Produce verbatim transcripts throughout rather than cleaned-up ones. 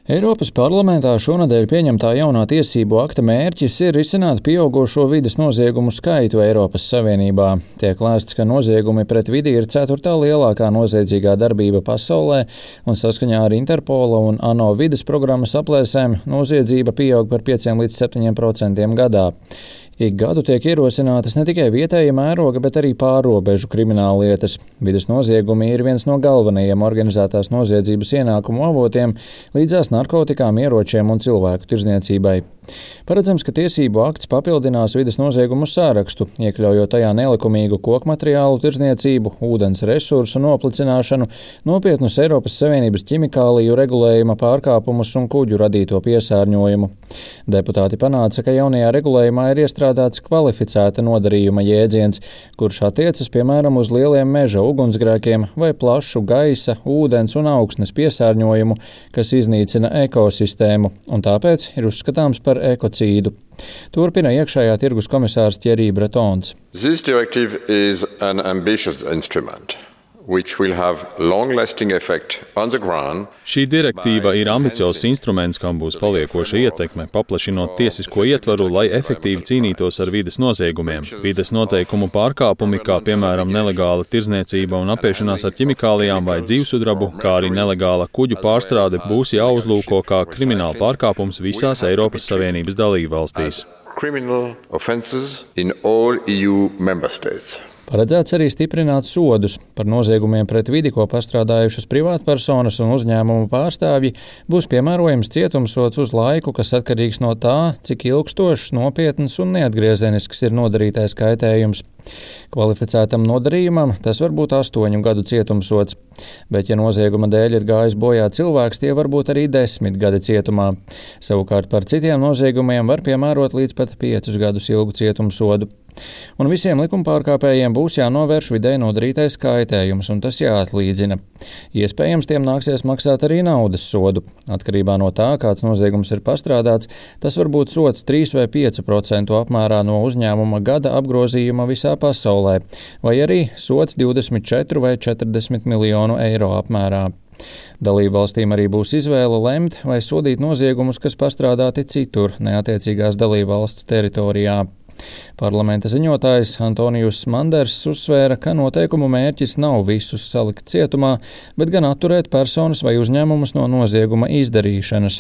Eiropas parlamentā šonadēļ pieņemtā jaunā tiesību akta mērķis ir risināt pieaugušo vides noziegumu skaitu Eiropas Savienībā. Tiek lēsts, ka noziegumi pret vidi ir ceturtā lielākā noziedzīgā darbība pasaulē, un saskaņā ar Interpola un ANO vides programmas aplēsēm noziedzība pieaug par pieciem līdz septiņiem procentiem gadā. Ik gadu tiek ierosinātas ne tikai vietēja mēroga, bet arī pārrobežu krimināllietas. Vides noziegumi ir viens no galvenajiem organizētās noziedzības ienākumu avotiem līdzās narkotikām, ieročiem un cilvēku tirdzniecībai. Paredzams, ka tiesību akts papildinās vides noziegumu sārakstu, iekļaujot tajā nelikumīgu kokmateriālu tirdzniecību, ūdens resursu noplicināšanu, nopietnus Eiropas Savienības ķimikāliju regulējuma pārkāpumus un kuģu radīto piesārņojumu. Deputāti panāca, ka jaunajā regulējumā ir iestrādāts kvalificēta nodarījuma jēdziens, kurš attiecas piemēram uz lieliem meža ugunsgrēkiem vai plašu gaisa, ūdens un augsnes piesārņojumu, kas iznīcina ekosistēmu, un tāpēc ir uzskatāms par ekocīdu. Turpina iekšējā tirgus komisārs Thierry Bretons. This directive is an ambitious instrument, which will have long-lasting effect on the ground. Šī direktīva ir ambiciozs instruments, kam būs paliekoša ietekme, paplašinot tiesisko ietvaru, lai efektīvi cīnītos ar vides noziegumiem. Vides noteikumu pārkāpumi, kā piemēram nelegāla tirdzniecība un apiešanās ar ķimikālijām vai dzīvsudrabu, kā arī nelegāla kuģu pārstrāde, būs jāuzlūko kā krimināla pārkāpums visās Eiropas Savienības dalībvalstīs. Criminal offences in all E U member states. Paredzēts arī stiprināt sodus. Par noziegumiem pret vidi, ko pastrādājušas privātpersonas un uzņēmumu pārstāvji, būs piemērojams cietumsods uz laiku, kas atkarīgs no tā, cik ilgstošs, nopietns un neatgriezenisks ir nodarītais kaitējums. Kvalificētam nodarījumam tas var būt astoņu gadu cietumsods, bet ja nozieguma dēļ ir gājis bojā cilvēks, tie var būt arī desmit gadi cietumā. Savukārt par citiem noziegumiem var piemērot līdz pat piecus gadus ilgu cietumsodu. Un visiem likumpārkāpējiem būs jānovērš vidē nodarītais kaitējums, un tas jāatlīdzina. Iespējams, tiem nāksies maksāt arī naudas sodu. Atkarībā no tā, kāds noziegums ir pastrādāts, tas var būt sods trīs vai pieci procenti apmērā no uzņēmuma gada apgrozījuma visā pasaulē, vai arī sods divdesmit četri vai četrdesmit miljonu eiro apmērā. Dalībvalstīm arī būs izvēle lemt vai sodīt noziegumus, kas pastrādāti citur, neattiecīgās dalībvalsts teritorijā. Parlamenta ziņotājs Antonijus Manders uzsvēra, ka noteikumu mērķis nav visus salikt cietumā, bet gan atturēt personas vai uzņēmumus no nozieguma izdarīšanas.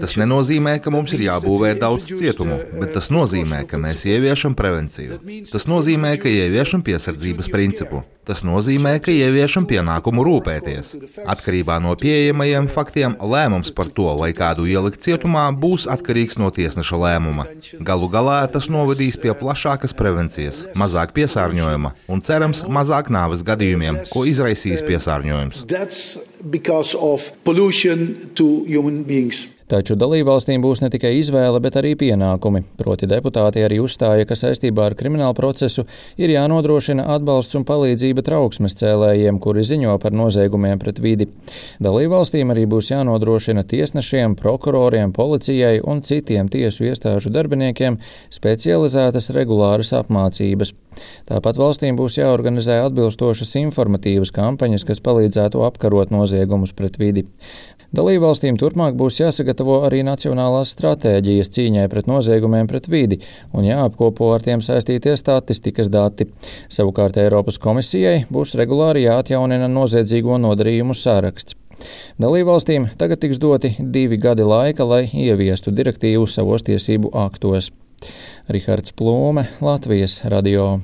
Tas nenozīmē, ka mums ir jābūvē daudz cietumu, bet tas nozīmē, ka mēs ieviešam prevenciju. Tas nozīmē, ka ieviešam piesardzības principu. Tas nozīmē, ka ieviešam pienākumu rūpēties. Atkarībā no pieejamajiem faktiem lēmums par to, vai kādu ielikt cietumā, būs atkarīgs no tiesneša lēmuma. Galu galā tas novedīs pie plašākas prevencijas, mazāk piesārņojuma un, cerams, mazāk nāves gadījumiem, ko izraisīs piesārņojums. Taču dalībvalstīm būs ne tikai izvēle, bet arī pienākumi. Proti deputāti arī uzstāja, ka saistībā ar kriminālu procesu ir jānodrošina atbalsts un palīdzība trauksmes cēlējiem, kuri ziņo par noziegumiem pret vidi. Dalībvalstīm arī būs jānodrošina tiesnešiem, prokuroriem, policijai un citiem tiesu iestāžu darbiniekiem specializētas regulāras apmācības. Tāpat valstīm būs jāorganizē atbilstošas informatīvas kampaņas, kas palīdzētu apkarot noziegumus pret vidi. Dalībvalstīm turpmāk būs jāsagatavo arī nacionālās stratēģijas cīņai pret noziegumiem pret vidi un jāapkopo ar tiem saistītie statistikas dati. Savukārt Eiropas komisijai būs regulāri jāatjaunina noziedzīgo nodarījumu saraksts. Dalībvalstīm tagad tiks doti divi gadi laika, lai ieviestu direktīvu savos tiesību aktos. Rihards Plūme, Latvijas radio.